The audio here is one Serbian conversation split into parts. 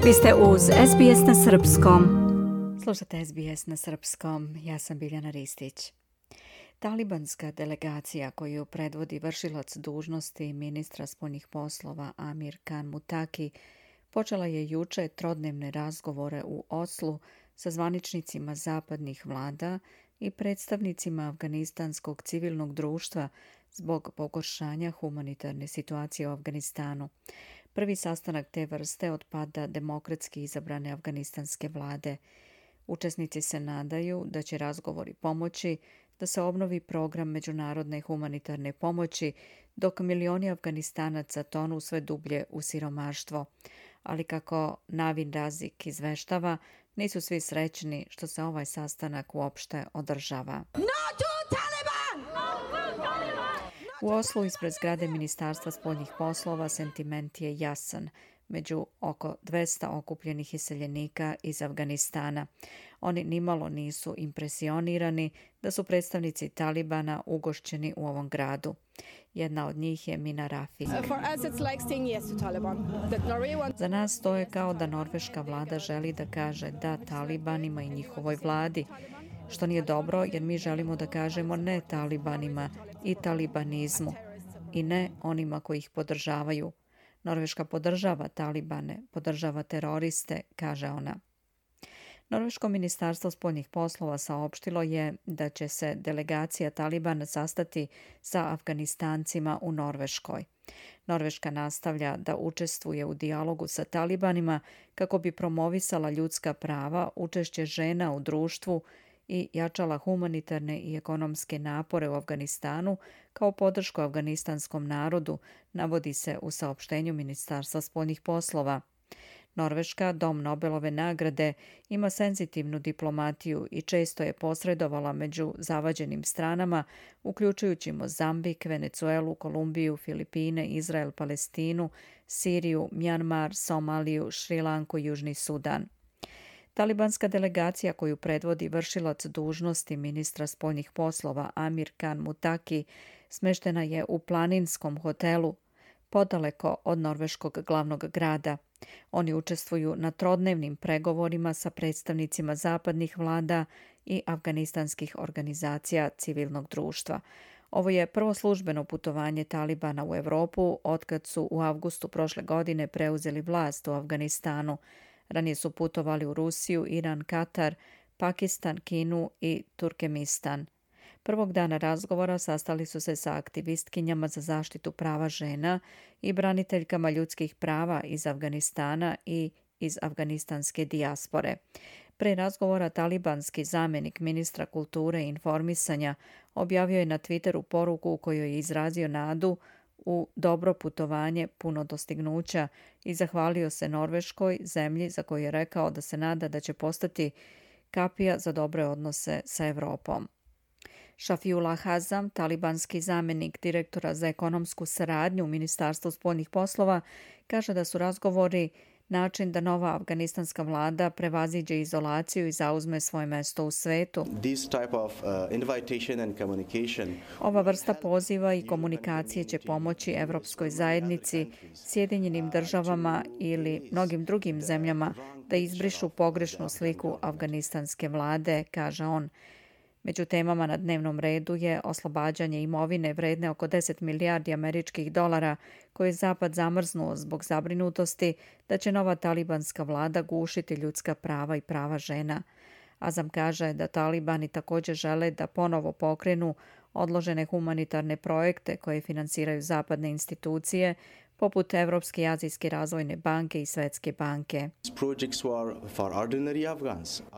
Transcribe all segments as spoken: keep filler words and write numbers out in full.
Vi ste uz S B S na srpskom. Slušate S B S na srpskom, ja sam Biljana Ristić. Talibanska delegacija koju predvodi vršilac dužnosti ministra spoljnih poslova Amir Khan Muttaqi počela je juče trodnevne razgovore u Oslu sa zvaničnicima zapadnih vlada i predstavnicima afganistanskog civilnog društva zbog pogoršanja humanitarne situacije u Afganistanu. Prvi sastanak te vrste od pada demokratski izabrane afganistanske vlade. Učesnici se nadaju da će razgovori pomoći da se obnovi program međunarodne humanitarne pomoći dok milioni Afganistanaca tonu sve dublje u siromaštvo. Ali kako Navin Razik izveštava, nisu svi srećni što se ovaj sastanak uopšte održava. U Oslu ispred zgrade Ministarstva spoljnih poslova sentiment je jasan među oko dvesta okupljenih iseljenika iz Afganistana. Oni nimalo nisu impresionirani da su predstavnici Talibana ugošćeni u ovom gradu. Jedna od njih je Mina Rafi. Za nas to je kao da norveška vlada želi da kaže da Talibanima i njihovoj vladi, što nije dobro jer mi želimo da kažemo ne Talibanima i talibanizmu i ne onima koji ih podržavaju. Norveška podržava Talibane, podržava teroriste, kaže ona. Norveško ministarstvo spoljnih poslova saopštilo je da će se delegacija Talibana sastati sa Afganistancima u Norveškoj. Norveška nastavlja da učestvuje u dijalogu sa Talibanima kako bi promovisala ljudska prava, učešće žena u društvu i jačala humanitarne i ekonomske napore u Afganistanu kao podršku afganistanskom narodu, navodi se u saopštenju Ministarstva spoljnih poslova. Norveška, dom Nobelove nagrade, ima senzitivnu diplomatiju i često je posredovala među zavađenim stranama, uključujući Mozambik, Venecuelu, Kolumbiju, Filipine, Izrael, Palestinu, Siriju, Mjanmar, Somaliju, Šrilanku i Južni Sudan. Talibanska delegacija koju predvodi vršilac dužnosti ministra spoljnih poslova Amir Khan Muttaqi smeštena je u planinskom hotelu podaleko od norveškog glavnog grada. Oni učestvuju na trodnevnim pregovorima sa predstavnicima zapadnih vlada i afganistanskih organizacija civilnog društva. Ovo je prvo službeno putovanje Talibana u Evropu otkad su u avgustu prošle godine preuzeli vlast u Afganistanu. Ranije su putovali u Rusiju, Iran, Katar, Pakistan, Kinu i Turkmenistan. Prvog dana razgovora sastali su se sa aktivistkinjama za zaštitu prava žena i braniteljkama ljudskih prava iz Afganistana i iz afganistanske dijaspore. Pre razgovora talibanski zamjenik ministra kulture i informisanja objavio je na Twitteru poruku u kojoj je izrazio nadu u dobro putovanje puno dostignuća i zahvalio se Norveškoj, zemlji za koju je rekao da se nada da će postati kapija za dobre odnose sa Evropom. Shafiullah Hazam, talibanski zamjenik direktora za ekonomsku saradnju u Ministarstvu spoljnih poslova, kaže da su razgovori način da nova afganistanska vlada prevaziđe izolaciju i zauzme svoje mesto u svetu. Ova vrsta poziva i komunikacije će pomoći Evropskoj zajednici, Sjedinjenim državama ili mnogim drugim zemljama da izbrišu pogrešnu sliku afganistanske vlade, kaže on. Među temama na dnevnom redu je oslobađanje imovine vredne oko deset milijardi američkih dolara koje je Zapad zamrznuo zbog zabrinutosti da će nova talibanska vlada gušiti ljudska prava i prava žena. Azam kaže da Talibani također žele da ponovo pokrenu odložene humanitarne projekte koje finansiraju zapadne institucije poput Evropske i Azijske razvojne banke i Svetske banke.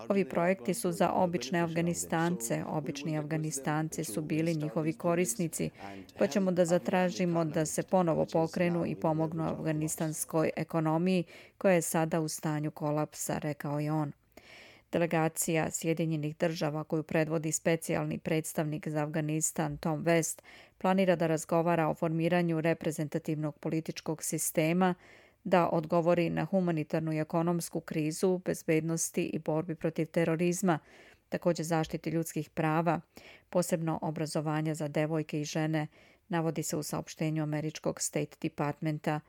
Ovi projekti su za obične Afganistance. Obični Afganistanci su bili njihovi korisnici, pa ćemo da zatražimo da se ponovo pokrenu i pomognu afganistanskoj ekonomiji koja je sada u stanju kolapsa, rekao je on. Delegacija Sjedinjenih država koju predvodi specijalni predstavnik za Afganistan Tom West planira da razgovara o formiranju reprezentativnog političkog sistema, da odgovori na humanitarnu i ekonomsku krizu, bezbednosti i borbi protiv terorizma, također zaštiti ljudskih prava, posebno obrazovanja za devojke i žene, navodi se u saopštenju američkog State Departmenta.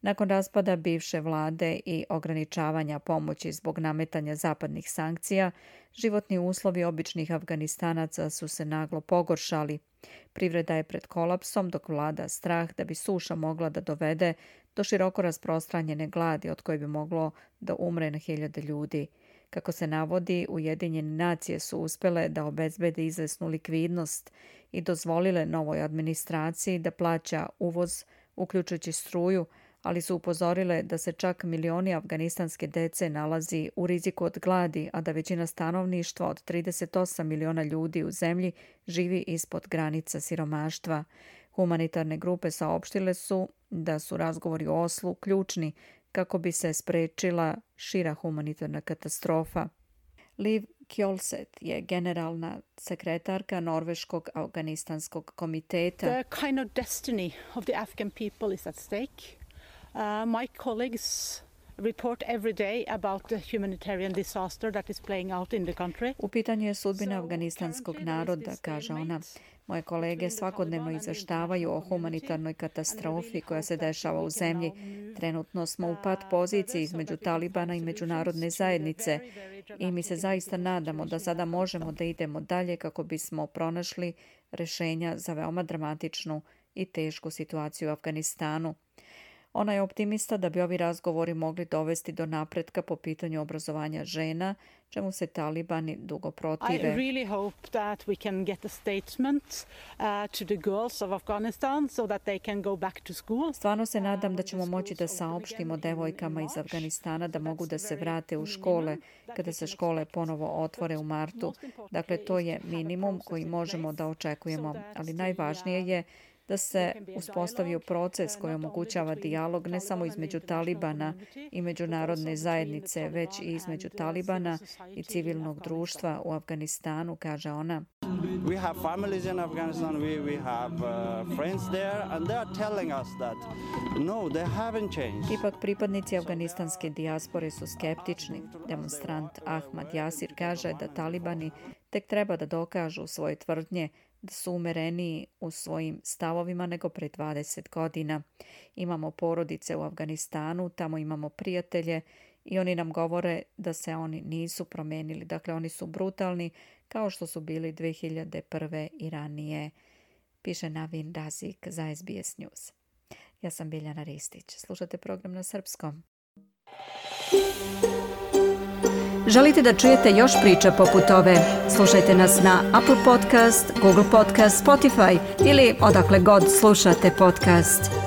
Nakon raspada bivše vlade i ograničavanja pomoći zbog nametanja zapadnih sankcija, životni uslovi običnih Afganistanaca su se naglo pogoršali. Privreda je pred kolapsom, dok vlada strah da bi suša mogla da dovede do široko rasprostranjene gladi od koje bi moglo da umre na hiljade ljudi. Kako se navodi, Ujedinjene nacije su uspjele da obezbede izvesnu likvidnost i dozvolile novoj administraciji da plaća uvoz, uključujući struju, ali su upozorile da se čak milioni afganistanske dece nalazi u riziku od gladi, a da većina stanovništva od trideset osam miliona ljudi u zemlji živi ispod granica siromaštva. Humanitarne grupe saopštile su da su razgovori o Oslu ključni kako bi se sprečila šira humanitarna katastrofa. Liv Kjolset je generalna sekretarka Norveškog afganistanskog komiteta. The kind of destiny of the Afghan people is at stake. Uh, my colleagues report every day about the humanitarian disaster that is playing out in the country. U pitanju je sudbina afganistanskog naroda, kaže ona. Moje kolege svakodnevno izveštavaju o humanitarnoj katastrofi koja se dešava u zemlji. Trenutno smo u pat poziciji između Talibana i međunarodne zajednice i mi se zaista nadamo da sada možemo da idemo dalje kako bismo pronašli rješenja za veoma dramatičnu i tešku situaciju u Afganistanu. Ona je optimista da bi ovi razgovori mogli dovesti do napretka po pitanju obrazovanja žena, čemu se Talibani dugo protive. I really hope that we can get a statement uh, to the girls of Afghanistan so that they can go back to school. Stvarno se nadam da ćemo moći da saopštimo devojkama iz Afganistana da mogu da se vrate u škole kada se škole ponovo otvore u martu. Dakle, to je minimum koji možemo da očekujemo, ali najvažnije je da se uspostavio proces koji omogućava dijalog ne samo između Talibana i međunarodne zajednice, već i između Talibana i civilnog društva u Afganistanu, kaže ona. We have families in Afghanistan, we, we have uh, friends there, and they are telling us that no, they haven't changed. Ipak pripadnici afganistanske dijaspore su skeptični. Demonstrant Ahmad Jasir kaže da Talibani tek treba da dokažu svoje tvrdnje da su umereniji u svojim stavovima nego pre dvadeset godina. Imamo porodice u Afganistanu, tamo imamo prijatelje i oni nam govore da se oni nisu promenili. Dakle, oni su brutalni kao što su bili dve hiljade prve i ranije, piše Navin Razik za S B S News. Ja sam Biljana Ristić. Slušate program na srpskom. Želite da čujete još priča poput ove? Slušajte nas na Apple Podcast, Google Podcast, Spotify ili odakle god slušate podcast.